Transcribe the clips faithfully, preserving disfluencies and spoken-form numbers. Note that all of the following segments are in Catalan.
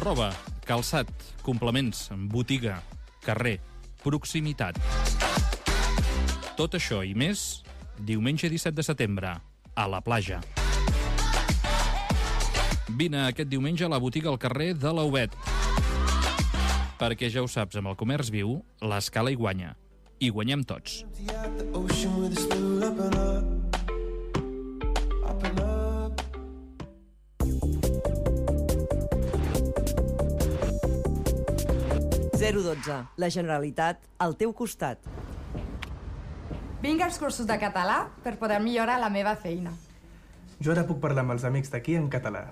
Roba, calçat, complements, botiga, carrer, proximitat. Tot això i més, diumenge disset de setembre, a la platja. Vine aquest diumenge a la botiga al carrer de l'Aubet. Perquè ja ho saps, amb el comerç viu, l'Escala hi guanya. I guanyem tots. zero dotze. La Generalitat al teu costat. Vinc als cursos de català per poder millorar la meva feina. Jo ara puc parlar amb els amics d'aquí en català.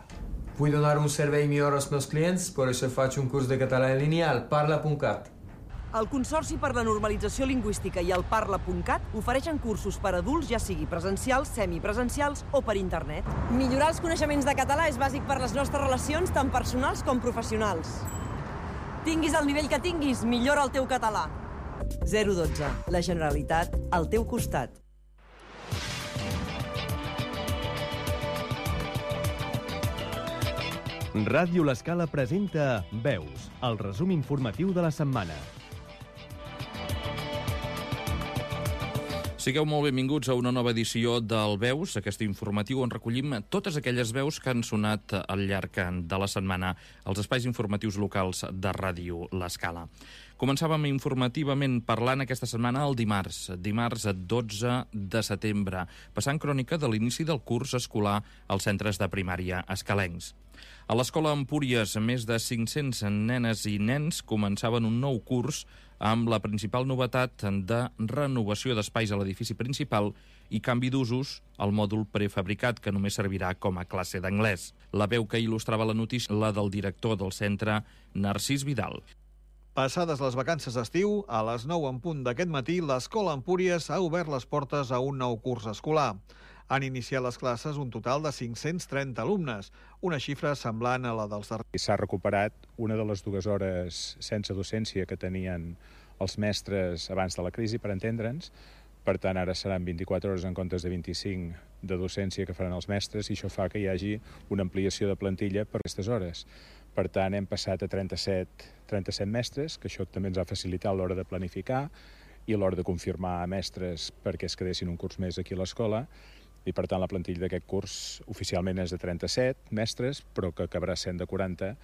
Vull donar un servei millor als meus clients, per això faig un curs de català en línia al parla punt cat. El Consorci per la Normalització Lingüística i el parla punt cat ofereixen cursos per adults, ja sigui presencials, semipresencials o per internet. Millorar els coneixements de català és bàsic per les nostres relacions, tant personals com professionals. Tinguis el nivell que tinguis, millora el teu català. zero dotze. La Generalitat al teu costat. Ràdio L'Escala presenta Veus, el resum informatiu de la setmana. Sigueu molt benvinguts a una nova edició del Veus, aquest informatiu on recollim totes aquelles veus que han sonat al llarg de la setmana als espais informatius locals de Ràdio L'Escala. Començàvem informativament parlant aquesta setmana el dimarts, dimarts dotze de setembre, passant crònica de l'inici del curs escolar als centres de primària escalencs. A l'Escola Empúries, més de cinc-cents nenes i nens començaven un nou curs amb la principal novetat de renovació d'espais a l'edifici principal i canvi d'usos al mòdul prefabricat, que només servirà com a classe d'anglès. La veu que il·lustrava la notícia, la del director del centre, Narcís Vidal. Passades les vacances d'estiu, a les nou en punt d'aquest matí, l'Escola Empúries ha obert les portes a un nou curs escolar. Han iniciat les classes un total de cinc-cents trenta alumnes, una xifra semblant a la dels darrers. S'ha recuperat una de les dues hores sense docència que tenien els mestres abans de la crisi, per entendre'ns. Per tant, ara seran vint-i-quatre hores en comptes de vint-i-cinc de docència que faran els mestres, i això fa que hi hagi una ampliació de plantilla per aquestes hores. Per tant, hem passat a trenta-set, trenta-set mestres, que això també ens ha facilitat a l'hora de planificar i a l'hora de confirmar mestres perquè es quedessin un curs més aquí a l'escola. I, per tant, la plantilla d'aquest curs oficialment és de trenta-set mestres, però que acabarà sent de quaranta,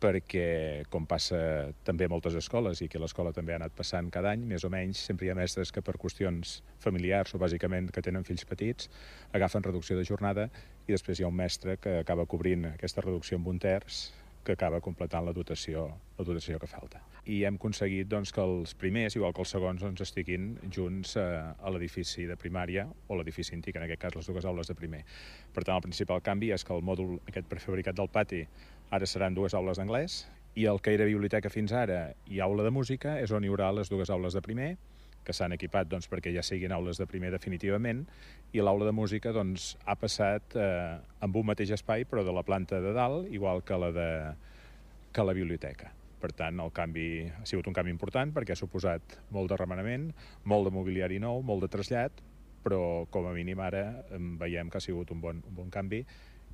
perquè, com passa també a moltes escoles, i que l'escola també ha anat passant cada any, més o menys, sempre hi ha mestres que per qüestions familiars, o bàsicament que tenen fills petits, agafen reducció de jornada, i després hi ha un mestre que acaba cobrint aquesta reducció amb un terç, que acaba completant la dotació, la dotació que falta. I hem aconseguit doncs, que els primers, igual que els segons, doncs, estiguin junts a, a l'edifici de primària o l'edifici antic, en aquest cas les dues aules de primer. Per tant, el principal canvi és que el mòdul aquest prefabricat del pati ara seran dues aules d'anglès, i el que era biblioteca fins ara i aula de música és on hi haurà les dues aules de primer, que s'han equipat doncs, perquè ja siguin aules de primer definitivament, i l'aula de música doncs, ha passat eh, amb un mateix espai, però de la planta de dalt, igual que la, de, que la biblioteca. Per tant, el canvi ha sigut un canvi important perquè ha suposat molt de remenament, molt de mobiliari nou, molt de trasllat, però com a mínim ara veiem que ha sigut un bon, un bon canvi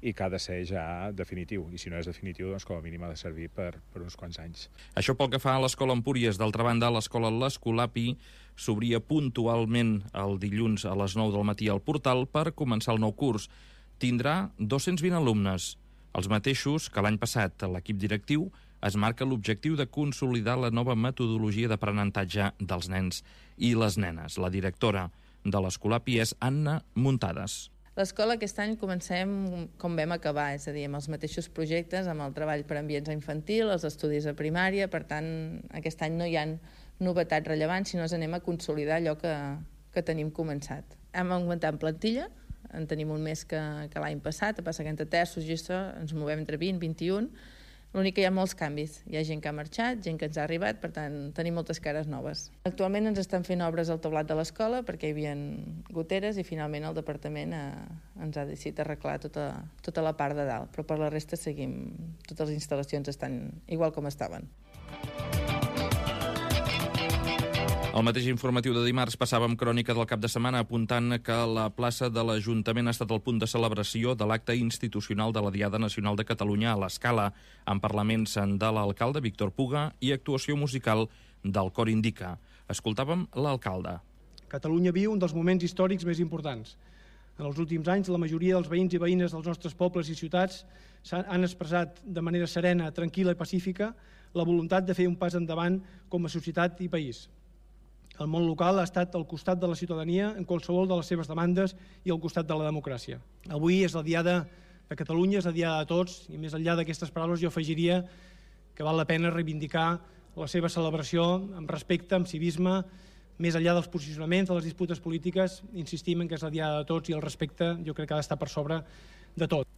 i que ha de ser ja definitiu. I si no és definitiu, doncs com a mínim ha de servir per, per uns quants anys. Això pel que fa a l'Escola Empúries. D'altra banda, l'Escola l'Escolapi s'obria puntualment el dilluns a les nou del matí al portal per començar el nou curs. Tindrà dos-cents vint alumnes, els mateixos que l'any passat. L'equip directiu es marca l'objectiu de consolidar la nova metodologia d'aprenentatge dels nens i les nenes. La directora de l'Escolapi és Anna Muntades. L'escola aquest any comencem com vam acabar, és a dir, amb els mateixos projectes, amb el treball per ambients infantil, els estudis a primària. Per tant, aquest any no hi ha novetats rellevants, sinó que anem a consolidar allò que, que tenim començat. Hem augmentat en plantilla, en tenim un més que, que l'any passat, a passar que entre terços i això ens movem entre vint i vint i un. L'únic que hi ha molts canvis. Hi ha gent que ha marxat, gent que ens ha arribat, per tant, tenim moltes cares noves. Actualment ens estan fent obres al teulat de l'escola perquè hi havia goteres i finalment el departament ha, ens ha decidit arreglar tota, tota la part de dalt, però per la resta seguim, totes les instal·lacions estan igual com estaven. Al mateix informatiu de dimarts passàvem crònica del cap de setmana apuntant que la plaça de l'Ajuntament ha estat el punt de celebració de l'acte institucional de la Diada Nacional de Catalunya a l'Escala, amb parlaments de l'alcalde Víctor Puga i actuació musical del Cor Indica. Escoltàvem l'alcalde. Catalunya viu un dels moments històrics més importants. En els últims anys, la majoria dels veïns i veïnes dels nostres pobles i ciutats han expressat de manera serena, tranquil·la i pacífica la voluntat de fer un pas endavant com a societat i país. El món local ha estat al costat de la ciutadania en qualsevol de les seves demandes i al costat de la democràcia. Avui és la Diada de Catalunya, és la Diada de tots, i més enllà d'aquestes paraules jo afegiria que val la pena reivindicar la seva celebració amb respecte, amb civisme, més enllà dels posicionaments, de les disputes polítiques, insistim en que és la Diada de tots i el respecte jo crec que ha d'estar per sobre de tot.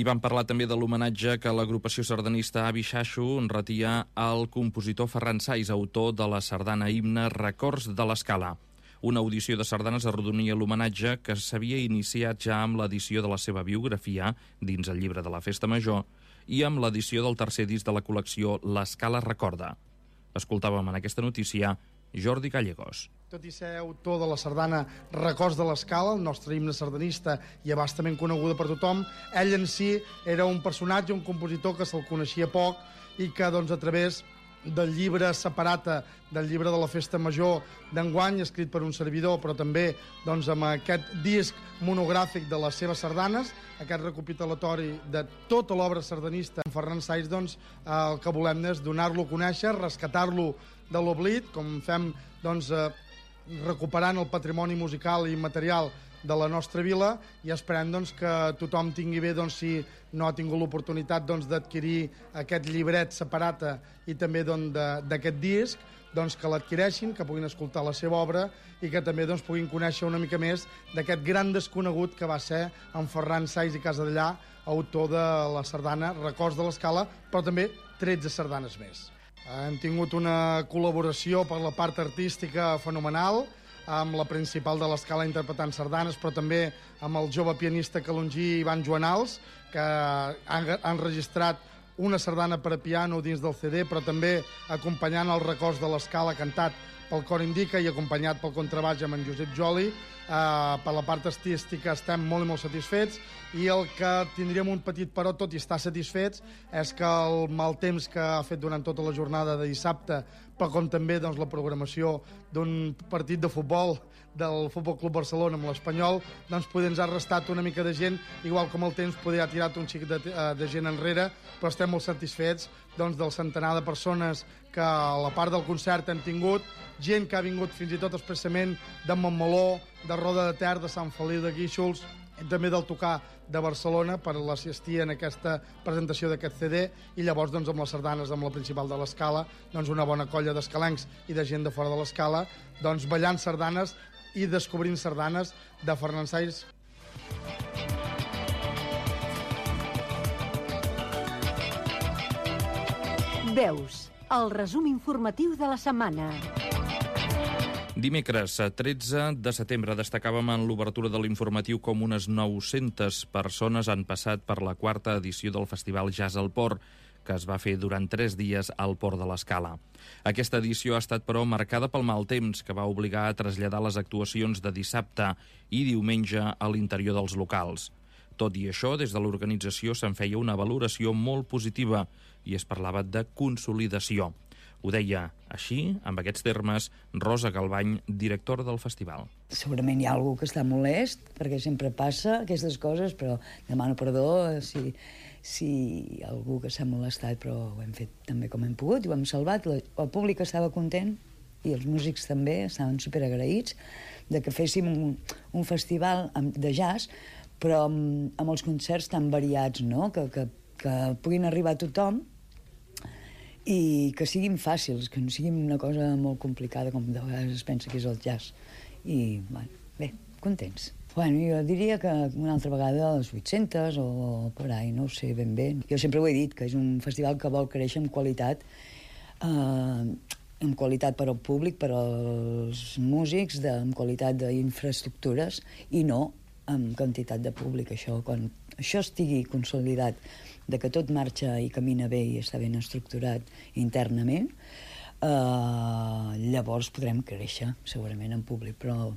I vam parlar també de l'homenatge que l'agrupació sardanista Avi Xaxo retia al compositor Ferran Saiz, autor de la sardana himne Records de l'Escala. Una audició de sardanes arrodonia l'homenatge que s'havia iniciat ja amb l'edició de la seva biografia dins el llibre de la Festa Major i amb l'edició del tercer disc de la col·lecció L'Escala Recorda. Escoltàvem en aquesta notícia Jordi Gallegos. Tot i ser autor de la sardana Records de l'Escala, el nostre himne sardanista i abastament coneguda per tothom, ell en si era un personatge, un compositor que se'l coneixia poc i que doncs, a través del llibre Separata, del llibre de la Festa Major d'enguany, escrit per un servidor, però també doncs, amb aquest disc monogràfic de les seves sardanes, aquest recopitatori de tota l'obra sardanista, en Ferran Saiz, doncs, el que volem és donar-lo a conèixer, rescatar-lo de l'oblit, com fem doncs, eh, recuperant el patrimoni musical i material de la nostra vila, i esperem doncs, que tothom tingui bé, doncs, si no ha tingut l'oportunitat doncs, d'adquirir aquest llibret Separata i també doncs, d'aquest disc, doncs, que l'adquireixin, que puguin escoltar la seva obra i que també doncs, puguin conèixer una mica més d'aquest gran desconegut que va ser en Ferran Saiz i Casadellà, autor de la sardana Records de l'Escala, però també tretze sardanes més. Hem tingut una col·laboració per la part artística fenomenal, amb la principal de l'Escala interpretant sardanes, però també amb el jove pianista calongí Ivan Joanals, que han, han registrat una sardana per a piano dins del C D, però també acompanyant els Records de l'Escala cantat pel Cor Indica i acompanyat pel contrabaix amb en Josep Joli. Uh, per la part artística estem molt i molt satisfets, i el que tindríem un petit però, tot i estar satisfets, és que el mal temps que ha fet durant tota la jornada de dissabte, però com també doncs, la programació d'un partit de futbol del Futbol Club Barcelona amb l'Espanyol, doncs poder ens ha restat una mica de gent, igual com el temps poder ha tirat un xic de, de gent enrere, però estem molt satisfets doncs, del centenar de persones que a la part del concert hem tingut, gent que ha vingut fins i tot expressament de Montmeló, de Roda de Ter, de Sant Feliu de Guíxols, i també del Tocar de Barcelona per l'assistir en aquesta presentació d'aquest C D, i llavors doncs, amb les sardanes, amb la principal de l'Escala, doncs, una bona colla d'escalencs i de gent de fora de l'Escala, doncs, ballant sardanes i descobrint sardanes de Ferran Saiz. Veus, el resum informatiu de la setmana. Dimecres, tretze de setembre, destacàvem en l'obertura de l'informatiu com unes nou-centes persones han passat per la quarta edició del Festival Jazz al Port, que es va fer durant tres dies al Port de l'Escala. Aquesta edició ha estat, però, marcada pel mal temps, que va obligar a traslladar les actuacions de dissabte i diumenge a l'interior dels locals. Tot i això, des de l'organització se'n feia una valoració molt positiva i es parlava de consolidació. Ho deia així, amb aquests termes, Rosa Galvany, directora del festival. Segurament hi ha algú que està molest, perquè sempre passa aquestes coses, però demano perdó si, si algú que s'ha molestat, però ho hem fet també com hem pogut, i ho hem salvat. El públic estava content i els músics també estaven superagraïts de que féssim un, un festival de jazz, però amb, amb els concerts tan variats, no? que, que, que puguin arribar a tothom i que siguin fàcils, que no siguin una cosa molt complicada com de vegades es pensa que és el jazz. I, bueno, bé, contents. Bueno, jo diria que una altra vegada a les vuit-centes o per ahí, no ho sé ben bé. Jo sempre ho he dit, que és un festival que vol créixer amb qualitat, eh, amb qualitat per al públic, per als músics, de, amb qualitat d'infraestructures i no amb quantitat de públic. Això, quan això estigui consolidat, de que tot marxa i camina bé i està ben estructurat internament, eh, llavors podrem créixer segurament en públic, però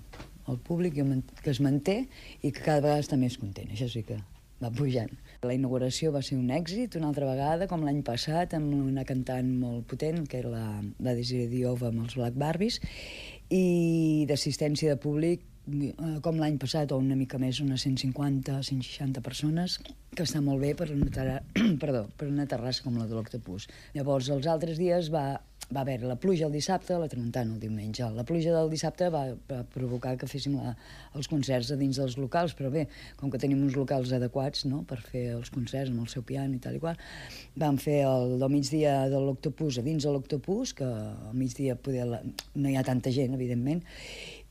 el públic que es manté i que cada vegada està més content, això sí que va pujant. La inauguració va ser un èxit una altra vegada, com l'any passat, amb una cantant molt potent, que era la, la Desiree Diova amb els Black Barbies, i d'assistència de públic com l'any passat, o una mica més, unes cent cinquanta, cent seixanta persones, que està molt bé per una, terra... Perdó, per una terrassa com la de l'Octopus. Llavors, els altres dies va, va haver la pluja el dissabte, la tramuntana el diumenge. La pluja del dissabte va, va provocar que féssim la, els concerts a dins dels locals, però bé, com que tenim uns locals adequats, no?, per fer els concerts amb el seu piano i tal i qual, vam fer el del migdia de l'Octopus a dins de l'Octopus, que al migdia poder la... no hi ha tanta gent, evidentment,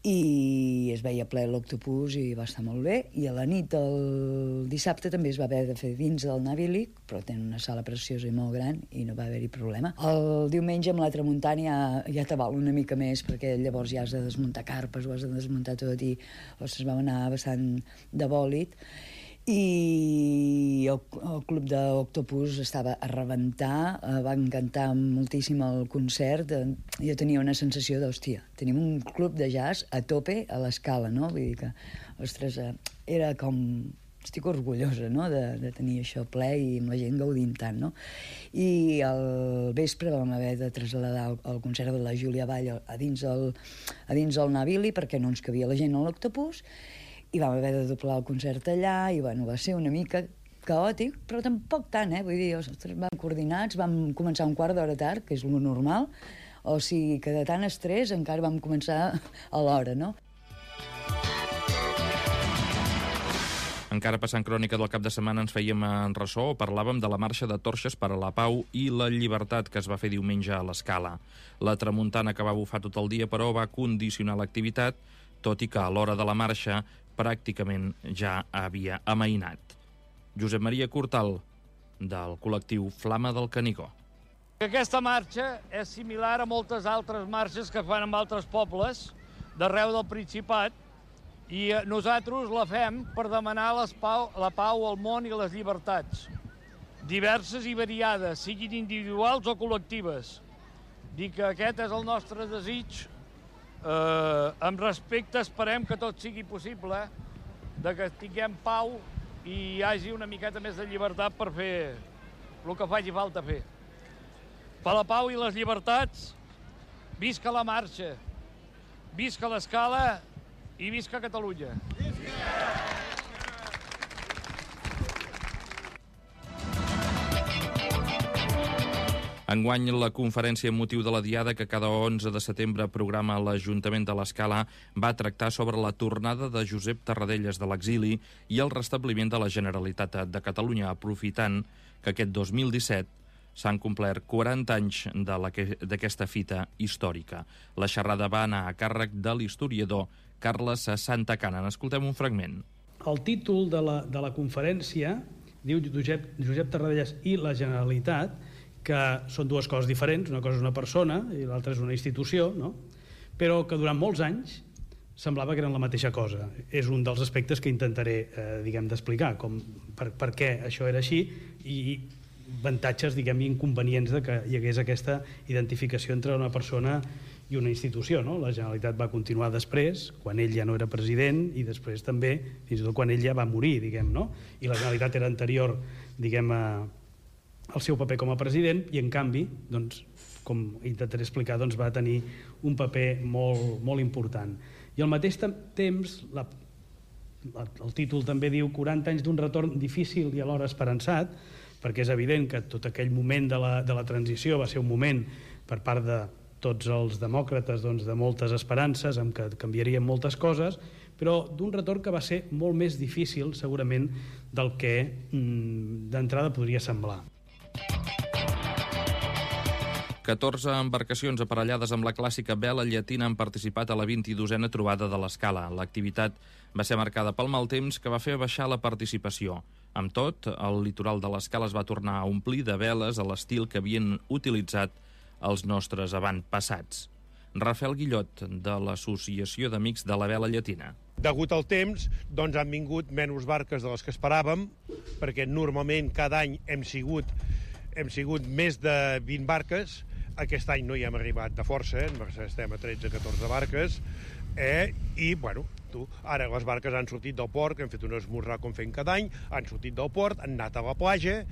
i es veia ple l'Octopus i va estar molt bé, i a la nit del dissabte també es va haver de fer dins del Navilic, però tenen una sala preciosa i molt gran i no va haver-hi problema. El diumenge amb la tramuntana ja, ja t'aval una mica més, perquè llavors ja has de desmuntar carpes, ho has de desmuntar tot i ostres, vam anar bastant de bòlit, i el, el club d'Octopus estava a rebentar, eh, va encantar moltíssim el concert, eh, jo tenia una sensació d'hòstia, tenim un club de jazz a tope a l'Escala, no? Vull dir que, ostres, eh, era com... estic orgullosa, no?, de, de tenir això ple i amb la gent gaudint tant, no? I al vespre vam haver de traslladar el, el concert de la Júlia Vall a dins el, a dins el Navili, perquè no ens cabia la gent a l'Octopus, i vam haver de doblar el concert allà, i bueno, va ser una mica caòtic, però tampoc tant, eh? Vull dir, ostres, vam coordinats, vam començar un quart d'hora tard, que és lo normal, o sigui que de tant estrès encara vam començar a l'hora, no? Encara passant crònica del cap de setmana ens fèiem en ressò, parlàvem de la marxa de torxes per a la pau i la llibertat que es va fer diumenge a l'Escala. La tramuntana que va bufar tot el dia, però, va condicionar l'activitat, tot i que a l'hora de la marxa pràcticament ja havia amainat. Josep Maria Cortal, del col·lectiu Flama del Canigó. Aquesta marxa és similar a moltes altres marxes que fan en altres pobles d'arreu del Principat, i nosaltres la fem per demanar les pau, la pau al món i les llibertats, diverses i variades, siguin individuals o col·lectives. Dic que aquest és el nostre desig. Eh, amb respecte esperem que tot sigui possible, de que tinguem pau i hi hagi una miqueta més de llibertat per fer el que faci falta fer. Per la pau i les llibertats, visca la marxa, visca l'Escala i visca Catalunya. Enguany, la conferència amb motiu de la Diada que cada onze de setembre programa l'Ajuntament de l'Escala va tractar sobre la tornada de Josep Tarradellas de l'exili i el restabliment de la Generalitat de Catalunya, aprofitant que aquest dos mil disset s'han complert quaranta anys d'aquesta fita històrica. La xerrada va anar a càrrec de l'historiador Carles Santacana. N'escoltem un fragment. El títol de la, de la conferència diu Josep, Josep Tarradellas i la Generalitat, que són dues coses diferents, una cosa és una persona i l'altra és una institució, no? Però que durant molts anys semblava que eren la mateixa cosa. És un dels aspectes que intentaré, eh, diguem, d'explicar, com per, per què això era així i avantatges, diguem, i inconvenients de que hi hagués aquesta identificació entre una persona i una institució, no? La Generalitat va continuar després, quan ell ja no era president, i després també, fins i tot quan ell ja va morir, diguem, no? I la Generalitat era anterior, diguem, a el seu paper com a president, i en canvi doncs, com intentaré explicar, doncs, va tenir un paper molt, molt important. I al mateix temps, la, la, el títol també diu quaranta anys d'un retorn difícil i alhora esperançat, perquè és evident que tot aquell moment de la, de la transició va ser un moment per part de tots els demòcrates doncs, de moltes esperances, en què canviarien moltes coses, però d'un retorn que va ser molt més difícil, segurament, del que mm, d'entrada podria semblar. catorze embarcacions aparellades amb la clàssica vela llatina han participat a la vint-i-dosena trobada de l'Escala. L'activitat va ser marcada pel mal temps que va fer baixar la participació. Amb tot, el litoral de l'Escala es va tornar a omplir de veles a l'estil que havien utilitzat els nostres avantpassats. Rafael Guillot, de l'Associació d'Amics de la Vela Llatina. Degut al temps, doncs han vingut menys barques de les que esperàvem, perquè normalment cada any hem sigut, hem sigut més de vint barques. Aquest any no hi hem arribat de força, eh? Estem a tretze o catorze barques, eh? I, bueno, tu, ara les barques han sortit del port, que hem fet un esmorzar com fem cada any, han sortit del port, han anat a la platja,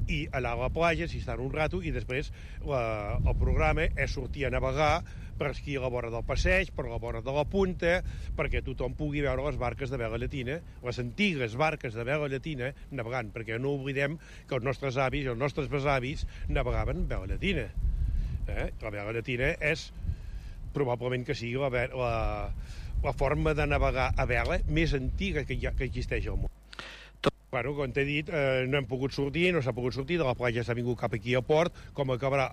i allà a la platja s'hi estan un rato, i després la, el programa és sortir a navegar per esquí a la vora del passeig, per la vora de la punta, perquè tothom pugui veure les barques de vela llatina, les antigues barques de vela llatina, navegant, perquè no oblidem que els nostres avis i els nostres besavis navegaven amb vela llatina. Eh? La vela llatina és, probablement que sigui la, la, la forma de navegar a vela més antiga que, hi ha, que existeix al món. Bueno, com t'he dit, eh, no hem pogut sortir, no s'ha pogut sortir, de la platja s'ha vingut cap aquí al port, com acabarà,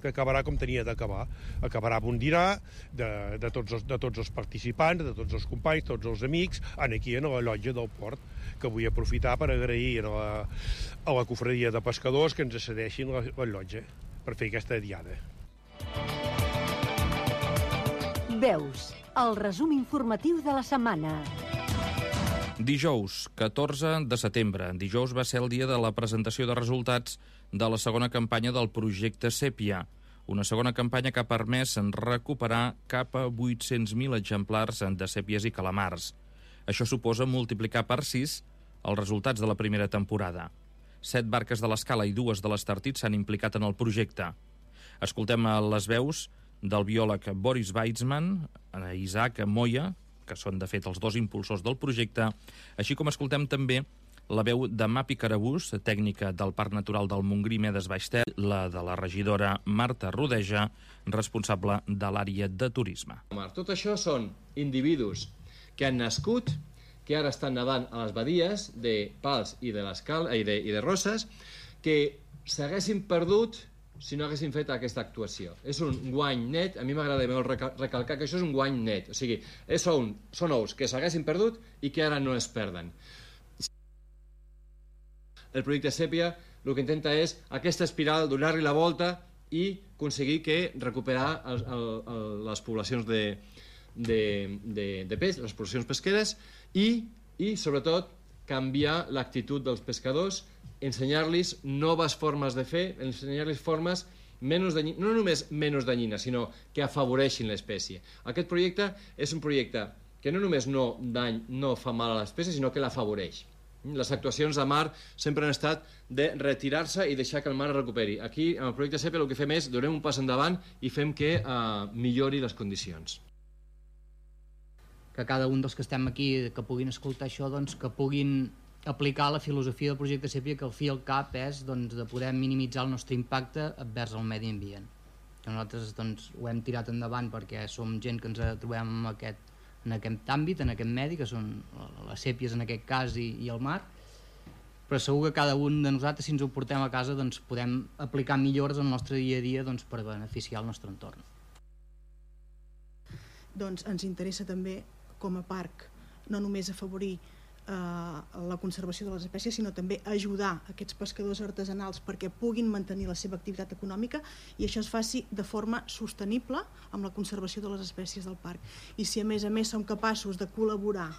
acabarà com tenia d'acabar. Acabarà amb un dinar de, de, tots els, de tots els participants, de tots els companys, tots els amics, aquí a la llotja del port, que vull aprofitar per agrair a la, a la cofradia de pescadors que ens cedeixin la, la llotja per fer aquesta diada. Veus, el resum informatiu de la setmana. Dijous, catorze de setembre. Dijous va ser el dia de la presentació de resultats de la segona campanya del projecte Sèpia, una segona campanya que ha permès recuperar cap a vuit-cents mil exemplars de sèpies i calamars. Això suposa multiplicar per sis els resultats de la primera temporada. Set barques de l'Escala i dues de l'Estartit s'han implicat en el projecte. Escoltem les veus del biòleg Boris Weizmann, Isaac Moya, que són, de fet, els dos impulsors del projecte, així com escoltem també la veu de Mapi Carabús, tècnica del Parc Natural del Montgrí Medes Baix Ter, la de la regidora Marta Rodeja, responsable de l'àrea de turisme. Tot això són individus que han nascut, que ara estan nedant a les badies de Pals i de, i de, i de Roses, que s'haguessin perdut si no haguessin fet aquesta actuació. És un guany net, a mi m'agrada molt recalcar que això és un guany net, o sigui, són, són ous que s'haguessin perdut i que ara no es perden. El projecte Sèpia el que intenta és aquesta espiral, donar-li la volta i aconseguir que recuperar el, el, el, les poblacions de, de, de, de peix, les poblacions pesqueres i, i sobretot, canviar l'actitud dels pescadors, ensenyar-los noves formes de fer, ensenyar-los formes menys danyines, no només menys danyines, sinó que afavoreixin l'espècie. Aquest projecte és un projecte que no només no, dany, no fa mal a l'espècie, sinó que l'afavoreix. Les actuacions de mar sempre han estat de retirar-se i deixar que el mar es recuperi. Aquí, amb el projecte Sèpia, el que fem és donem un pas endavant i fem que eh, millori les condicions. Que cada un dels que estem aquí, que puguin escoltar això, doncs, que puguin aplicar la filosofia del projecte Sèpia, que al fi i al cap és doncs, de poder minimitzar el nostre impacte envers el medi ambient. Que nosaltres doncs, ho hem tirat endavant perquè som gent que ens trobem en aquest, en aquest àmbit, en aquest medi, que són les sèpies en aquest cas i, i el mar, però segur que cada un de nosaltres, si ens ho portem a casa, doncs, podem aplicar millores al nostre dia a dia doncs, per beneficiar el nostre entorn. Doncs ens interessa també, com a parc, no només afavorir eh, la conservació de les espècies, sinó també ajudar aquests pescadors artesanals perquè puguin mantenir la seva activitat econòmica i això es faci de forma sostenible amb la conservació de les espècies del parc. I si a més a més som capaços de col·laborar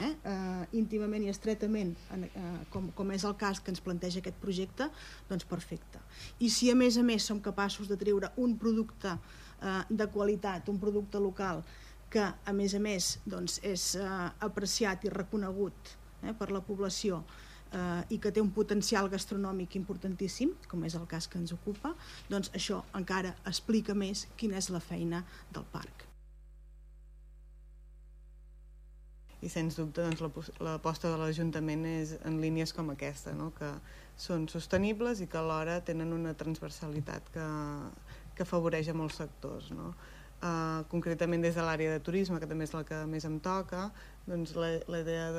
eh, eh, íntimament i estretament, en, eh, com, com és el cas que ens planteja aquest projecte, doncs perfecte. I si a més a més som capaços de treure un producte eh, de qualitat, un producte local, que a més a més doncs, és eh, apreciat i reconegut eh, per la població eh, i que té un potencial gastronòmic importantíssim, com és el cas que ens ocupa, doncs això encara explica més quina és la feina del parc. I sens dubte doncs, l'aposta de l'Ajuntament és en línies com aquesta, no? Que són sostenibles i que alhora tenen una transversalitat que, que afavoreix a molts sectors, no? Uh, concretament des de l'àrea de turisme, que també és la que més em toca, doncs la, la idea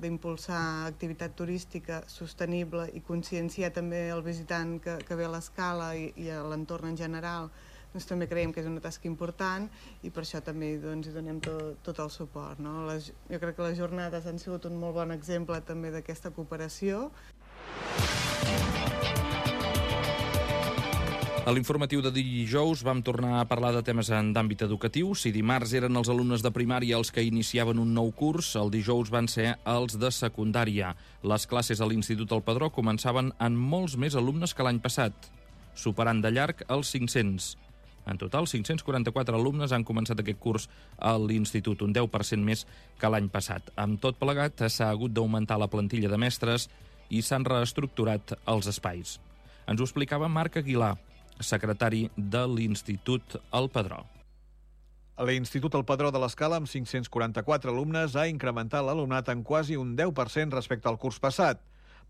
d'impulsar activitat turística sostenible i conscienciar també el visitant que, que ve a l'Escala i, i a l'entorn en general, doncs també creiem que és una tasca important i per això també doncs, hi donem tot, tot el suport, no? Les, jo crec que les jornades han sigut un molt bon exemple també d'aquesta cooperació. A l'informatiu de dijous vam tornar a parlar de temes en d'àmbit educatiu. Si dimarts eren els alumnes de primària els que iniciaven un nou curs, el dijous van ser els de secundària. Les classes a l'Institut El Pedró començaven amb molts més alumnes que l'any passat, superant de llarg els cinc-cents. En total, cinc-cents quaranta-quatre alumnes han començat aquest curs a l'Institut, un deu per cent més que l'any passat. Amb tot plegat, s'ha hagut d'augmentar la plantilla de mestres i s'han reestructurat els espais. Ens ho explicava Marc Aguilar, secretari de l'Institut El Pedró. L'Institut El Pedró de l'Escala, amb cinc-cents quaranta-quatre alumnes, ha incrementat l'alumnat en quasi un deu per cent respecte al curs passat.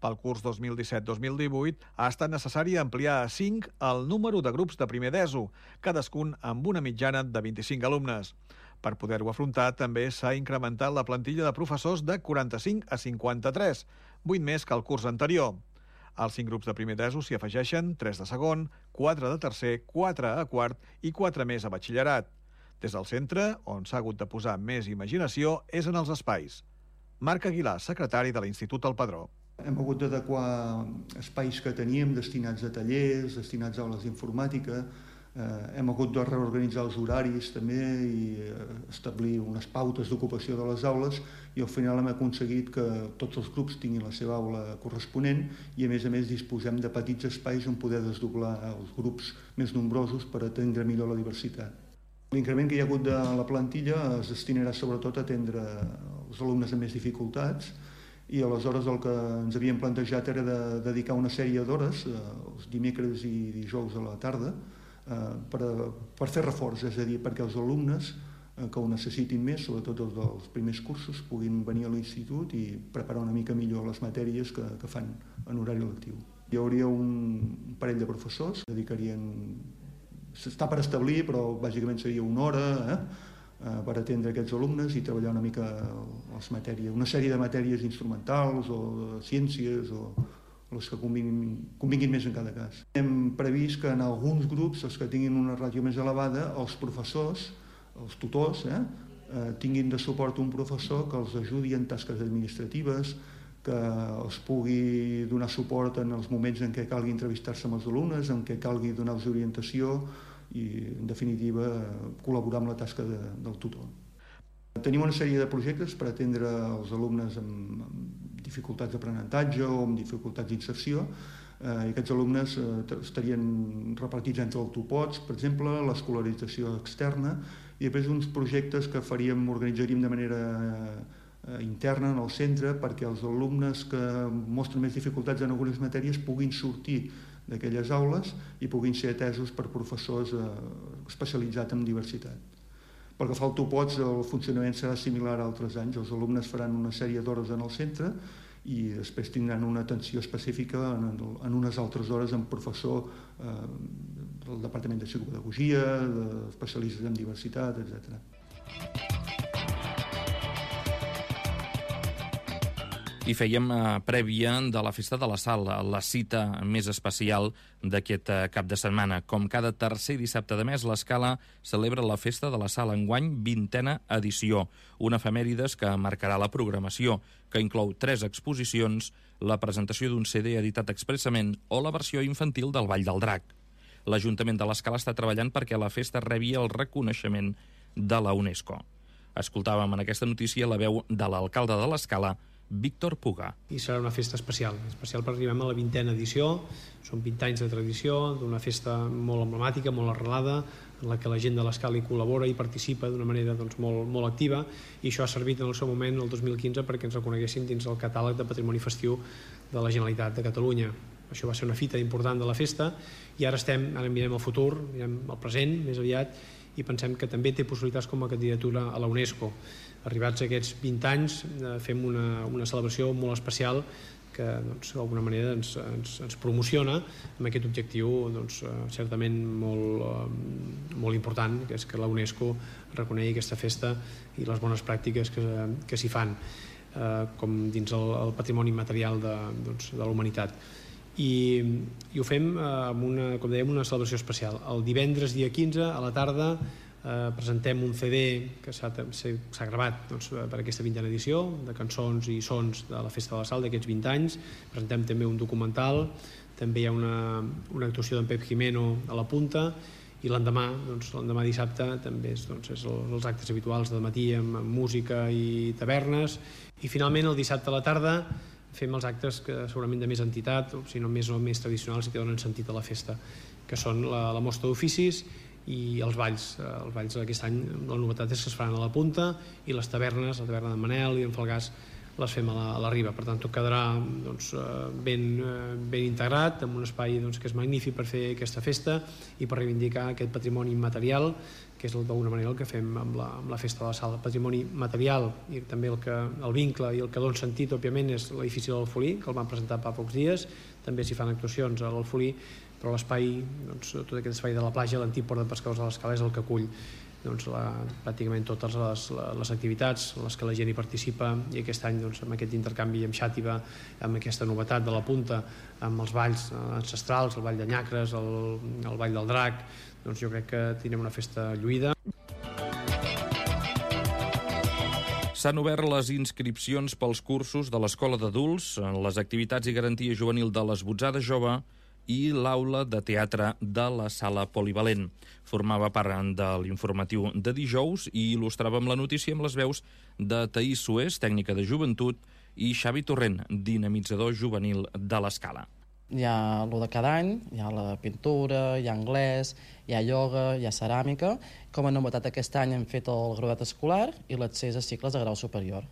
Pel curs dos mil disset dos mil divuit ha estat necessari ampliar a cinc el número de grups de primer d'ESO, cadascun amb una mitjana de vint-i-cinc alumnes. Per poder-ho afrontar, també s'ha incrementat la plantilla de professors de quaranta-cinc a cinquanta-tres, vuit més que el curs anterior. Als cinc grups de primer d'ESO s'hi afegeixen tres de segon, quatre de tercer, quatre a quart i quatre més a batxillerat. Des del centre, on s'ha hagut de posar més imaginació, és en els espais. Marc Aguilar, secretari de l'Institut El Pedró. Hem hagut d'adequar espais que teníem destinats a tallers, destinats a aules d'informàtica. Eh, hem hagut de reorganitzar els horaris també i establir unes pautes d'ocupació de les aules i al final hem aconseguit que tots els grups tinguin la seva aula corresponent i a més a més disposem de petits espais on poder desdoblar els grups més nombrosos per atendre millor la diversitat. L'increment que hi ha hagut de la plantilla es destinarà sobretot a atendre els alumnes amb més dificultats i aleshores el que ens havíem plantejat era de dedicar una sèrie d'hores, els dimecres i dijous a la tarda, per, per fer reforç, és a dir, perquè els alumnes que ho necessitin més, sobretot els dels primers cursos, puguin venir a l'institut i preparar una mica millor les matèries que, que fan en horari lectiu. Hi hauria un parell de professors que dedicarien, està per establir, però bàsicament seria una hora eh, per atendre aquests alumnes i treballar una mica les matèries, una sèrie de matèries instrumentals o de ciències o les que convinguin, convinguin més en cada cas. Hem previst que en alguns grups, els que tinguin una ràtio més elevada, els professors, els tutors, eh, eh, tinguin de suport un professor que els ajudi en tasques administratives, que els pugui donar suport en els moments en què calgui entrevistar-se amb els alumnes, en què calgui donar-los orientació i, en definitiva, col·laborar amb la tasca de, del tutor. Tenim una sèrie de projectes per atendre els alumnes amb, amb dificultats d'aprenentatge o amb dificultats d'inserció. Eh, aquests alumnes eh, estarien repartits entre autopots, per exemple, l'escolarització externa, i després uns projectes que faríem, organitzaríem de manera eh, interna en el centre perquè els alumnes que mostren més dificultats en algunes matèries puguin sortir d'aquelles aules i puguin ser atesos per professors eh, especialitzats en diversitat. Pel que fa al Topots, el funcionament serà similar a altres anys. Els alumnes faran una sèrie d'hores en el centre i després tindran una atenció específica en, en unes altres hores amb professor eh, del Departament de Psicopedagogia, d'especialistes en diversitat, etcètera. I fèiem eh, prèvia de la Festa de la Sal, la cita més especial d'aquest eh, cap de setmana. Com cada tercer dissabte de mes, l'Escala celebra la Festa de la Sal, enguany vintena edició, una efemèrides que marcarà la programació, que inclou tres exposicions, la presentació d'un C D editat expressament o la versió infantil del Ball del Drac. L'Ajuntament de l'Escala està treballant perquè la festa rebi el reconeixement de la UNESCO. Escoltàvem en aquesta notícia la veu de l'alcalde de l'Escala, Víctor Puga. I serà una festa especial, especial perquè arribem a la vintena edició, són vint anys de tradició, d'una festa molt emblemàtica, molt arrelada, en la que la gent de l'Escala hi col·labora i participa d'una manera doncs, molt, molt activa, i això ha servit en el seu moment, el dos mil quinze, perquè ens reconeguessin dins el catàleg de patrimoni festiu de la Generalitat de Catalunya. Això va ser una fita important de la festa, i ara estem, ara mirem el futur, mirem el present més aviat, i pensem que també té possibilitats com a candidatura a la UNESCO. Arribats a aquests vint anys fem una, una celebració molt especial que doncs, d'alguna manera ens, ens, ens promociona amb aquest objectiu doncs, certament molt, molt important, que és que la UNESCO reconegui aquesta festa i les bones pràctiques que, que s'hi fan eh, com dins el, el patrimoni material de, doncs, de la humanitat. I, i ho fem eh, amb una, com dèiem, una celebració especial. El divendres dia quinze a la tarda eh, presentem un C D que s'ha gravat doncs, per aquesta vintena edició de cançons i sons de la Festa de la Sal d'aquests vint anys. Presentem també un documental, també hi ha una, una actuació d'en Pep Jimeno a la punta, i l'endemà, doncs, l'endemà dissabte també és, doncs, és el, els actes habituals de matí amb, amb música i tavernes, i finalment el dissabte a la tarda fem els actes que segurament de més entitat, o si no més o més tradicionals i que donen sentit a la festa, que són la, la mostra d'oficis i els balls. Els balls d'aquest any, la novetat és que es faran a la punta, i les tavernes, la taverna de Manel i en Falgàs, les fem a la, a la riba. Per tant, tot quedarà doncs, ben, ben integrat, en un espai doncs, que és magnífic per fer aquesta festa i per reivindicar aquest patrimoni immaterial, que és d'alguna manera el que fem amb la, amb la Festa de la Sal. El patrimoni material i també el, que, el vincle i el que dona sentit, òbviament, és l'edifici de l'Alfolí, que el van presentar fa pocs dies. També s'hi fan actuacions a l'Alfolí, però l'espai, doncs, tot aquest espai de la platja, l'antic port de pescadors de l'Escala, és el que acull doncs, la, pràcticament totes les, les activitats en les que la gent hi participa, i aquest any doncs, amb aquest intercanvi amb Xàtiva, amb aquesta novetat de la punta, amb els balls ancestrals, el ball de Nyacres, el, el ball del drac, doncs jo crec que tindrem una festa lluïda. S'han obert les inscripcions pels cursos de l'Escola d'Adults, les activitats i garantia juvenil de l'Esbotzada Jove i l'aula de teatre de la Sala Polivalent. Formava part de l'informatiu de dijous i il·lustràvem la notícia amb les veus de Taís Sués, tècnica de joventut, i Xavi Torrent, dinamitzador juvenil de l'Escala. Hi ha el de cada any, hi ha la pintura, hi ha anglès, hi ha ioga, hi ha ceràmica. Com a novetat aquest any hem fet el graduat escolar i l'accés a cicles de grau superior.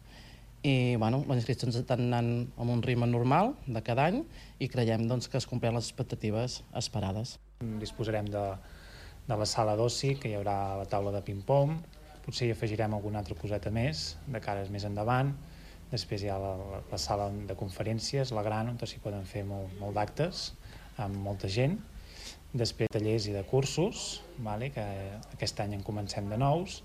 I bueno, les inscripcions estan anant amb un ritme normal de cada any i creiem doncs, que es compleixen les expectatives esperades. Disposarem de, de la sala d'oci, que hi haurà la taula de ping-pong, potser hi afegirem alguna altra coseta més, de cares més endavant. Després hi ha la, la sala de conferències, la gran, on s'hi poden fer molt, molt d'actes amb molta gent. Després tallers i de cursos, vale, que aquest any en comencem de nous,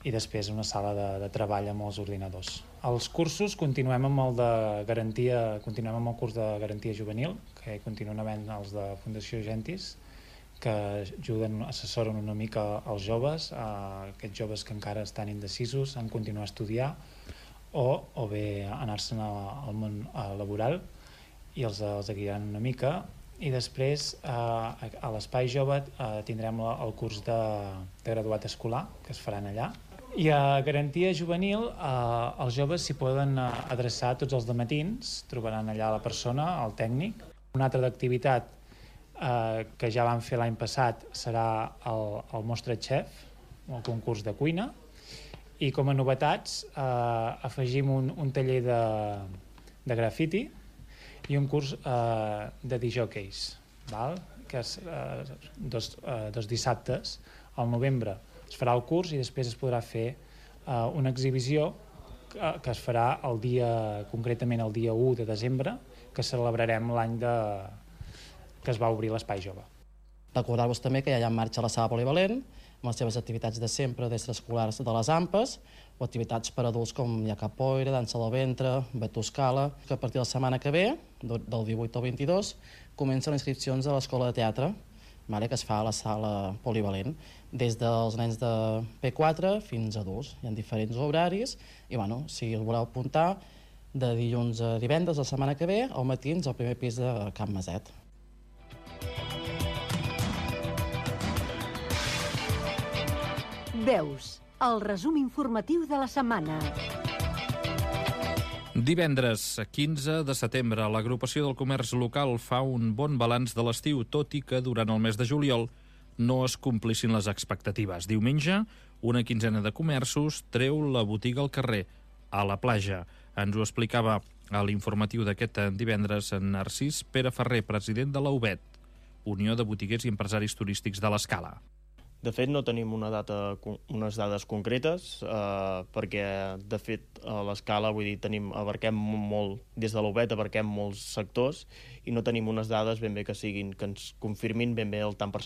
i després una sala de, de treball amb els ordinadors. Els cursos continuem amb el de garantia, continuem amb el curs de garantia juvenil, que continuen havent els de Fundació Gentis, que ajuden, assessoren una mica als joves, a aquests joves que encara estan indecisos en continuar a estudiar o, o bé anar-se'n al món laboral, i els, els guiaran una mica. I després a, a l'Espai Jove tindrem el curs de, de graduat escolar, que es faran allà. I a garantia juvenil eh, els joves s'hi poden adreçar tots els dematins, trobaran allà la persona, el tècnic. Una altra activitat eh, que ja vam fer l'any passat serà el, el Mostra Chef, el concurs de cuina, i com a novetats eh, afegim un, un taller de, de grafiti i un curs eh, de disjòqueis, val? Que és eh, dos, eh, dos dissabtes al novembre. Es farà el curs i després es podrà fer uh, una exhibició que, que es farà el dia, concretament el dia u de desembre, que celebrarem l'any de... que es va obrir l'Espai Jove. Recordar-vos també que ja hi ha en marxa la Sala Polivalent, amb les seves activitats de sempre, d'extraescolars de les AMPes, o activitats per adults com hi ha capoeira, dansa del ventre, batuscala, que a partir de la setmana que ve, del divuit al vint-i-dos, comencen les inscripcions a l'Escola de Teatre, vale, que es fa a la Sala Polivalent, des dels nens de P quatre fins a adults. Hi ha diferents horaris i, bueno, si el voleu apuntar, de dilluns a divendres la setmana que ve, al matins al primer pis de Can Maset. Veus, el resum informatiu de la setmana. Divendres, quinze de setembre, l'agrupació del comerç local fa un bon balanç de l'estiu, tot i que durant el mes de juliol no es complissin les expectatives. Diumenge, una quinzena de comerços treu la botiga al carrer, a la platja. Ens ho explicava a l'informatiu d'aquest divendres Narcís Pere Ferrer, president de l'A U B E T, Unió de Botiguers i Empresaris Turístics de l'Escala. De fet, no tenim una data, unes dades concretes, eh, perquè, de fet, a l'Escala, vull dir, tenim, abarquem molt, des de l'A U B E T abarquem molts sectors i no tenim unes dades ben bé que siguin, que ens confirmin ben bé el tant percentatge